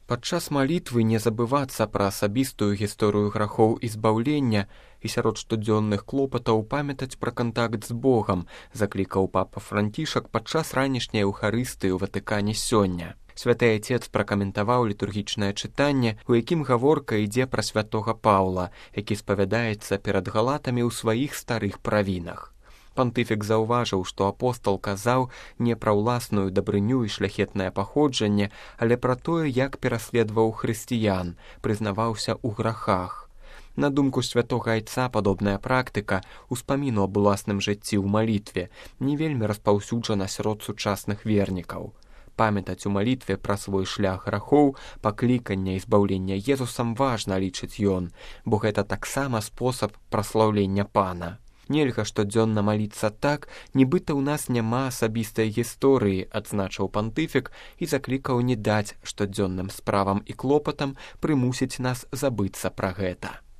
Падчас малітвы не забывацца пра асабістую гісторыю грахоў і збаўлення і сярод штодзённых клопатаў памятаць пра кантакт з Богам, заклікаў папа Францішак падчас ранішняй эўхарыстыі ў Ватыкане сёння. Святы Айцец пракаментаваў літургічнае чытанне, у якім гаворка ідзе пра святога Паўла, які спавядаецца перад галатамі ў сваіх старых правінах. Пантыфік заўважыў, што апостал казаў не пра ўласную дабрыню і шляхетнае паходжанне, але пра тое, як пераследаваў хрысціян, прызнаваўся ў грахах. На думку святога Айца, падобная практыка ўспаміну аб уласным жыцці ў малітве не вельмі распаўсюджана сярод сучасных вернікаў. Памятаць у малітве пра свой шлях грахоў, паклікання і збаўлення Езусам важна, лічыць ён, бо гэта таксама спосаб праслаўлення Пана. Нельга штодзённа маліцца так, нібыта ў нас няма асабістай гісторыі, адзначыў пантыфік і заклікаў не даць штодзённым справам і клопатам прымусіць нас забыцца пра гэта.